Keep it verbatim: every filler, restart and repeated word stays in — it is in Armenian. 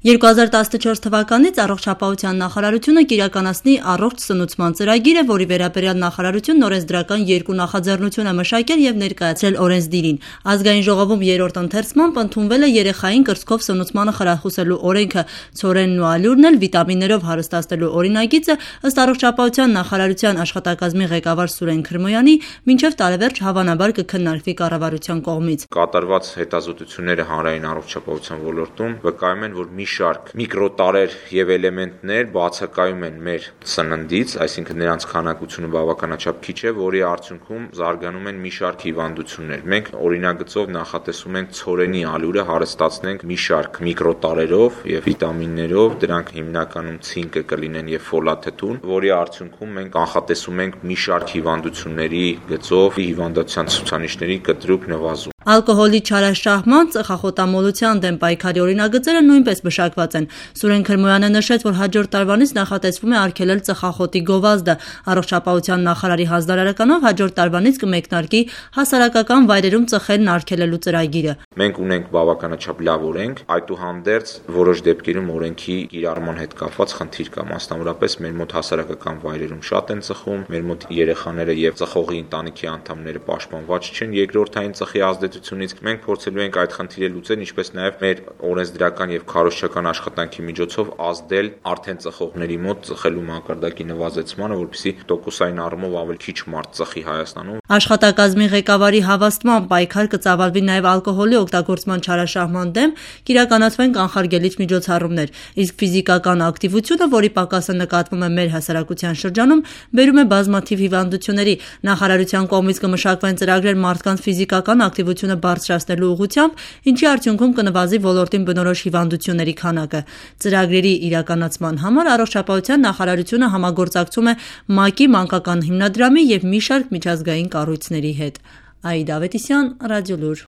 երկու հազար տասնչորս թվականից առողջապահության նախարարությունը կիրականացնի առողջ սնուցման ծրագիրը, որի վերաբերյալ նախարարությունն օրենսդրական երկու նախաձեռնություն է մշակել եւ ներկայացրել օրենսդիրին։ Ազգային ժողովում երրորդ ընթերցմամբ ընդունվել է երեխային կրծքով սնուցմանը խրախուսելու օրենքը, ցորենն ու ալյուրն էլ վիտամիններով հարստացնելու օրինագիծը, ըստ առողջապահության նախարարության աշխատակազմի ղեկավար Սուրեն Քրմոյանի, մինչև տարեվերջ հավանաբար կքննարկվի կառավարության կողմից։ Կատարված հետազոտությունները հանրային առողջապահության ոլորտում վկայում են, որ մի շարք միկրոտարեր եւ էլեմենտներ բացակայում են մեր սննդից, այսինքն նրանց քանակությունը բավականաչափ քիչ է, որի արդյունքում զարգանում են մի շարք հիվանդություններ։ Մենք օրինագծով նախատեսում ենք ցորենի ալյուրը հարստացնենք մի շարք միկրոտարերով եւ վիտամիններով, դրանք հիմնականում ցինկը կլինեն եւ ֆոլաթթուն, որի արդյունքում մենք կանխատեսում ենք մի շարք հիվանդությունների գծով հիվանդության ցուցանիշների կտրուկ նվազում։ Ալկոհոլի չարաշահման, ծխախոտամոլության դեմ պայքարի օրինագծերը նույնպես մշակված են։ Սուրեն Քրմոյանը նշեց, որ հաջորդ տարվանից նախատեսվում է արգելել ծխախոտի գովազդը։ Առողջապահության նախարարի հանձնարարականով հաջորդ տարվանից կմեկնարկի հասարակական վայրերում ծխելն արգելելու ծրագիրը։ Մենք ունենք բավականաչափ լավ օրենք, այդուհանդերձ որոշ դեպքերում օրենքի կիրառման հետ կապված խնդիր կա, մասնավորապես մեր մոտ հասարակական վայրերում շատ են ծխում, մեր մոտ երեխաները եւ ծխողի ընտանիքի անդամները պաշտպանված չեն երկրորդային ծխի ազդեցությունից։ Մենք փորձելու ենք այդ խնդիրը լուծել, ինչպես նաեւ մեր օրենսդրական եւ քարոզչական աշխատանքի միջոցով ազդել արդեն ծխողների մոտ ծխելու մակարդակի նվազեցմանը, որպեսզի տոկոսային առումով ավելի քիչ մարդ ծխի Հայաստանում։ Աշխատակազմի ղեկավարի հավաստմամբ պայքար կծավալվի նաեւ ալկոհոլի օգտագործման չարաշահման դեմ, կիրականացվեն կանխարգելիչ միջոցառումներ, իսկ ֆիզիկական ակտիվությունը, որի պակասը նկատվում է մեր հասարակության շրջանում, բերում է բազմաթիվ հիվանդությունների։ Նախարարության կողմից կմշակվեն ծրագրեր մարդկանց ֆիզիկական ակտիվությունը բարձրացնելու ուղղությամբ, ինչի արդյունքում կնվազի ոլորտին բնորոշ հիվանդությունների քանակը։ Ծրագրերի իրականացման համար առողջապահության նախարարությունը համագործակցում է ՄԱԿ-ի մանկական հիմնադրամի եւ մի շարք միջազգային կառույցների հետ։ Աիդա Ավետիսյան, Ռադիոլուր։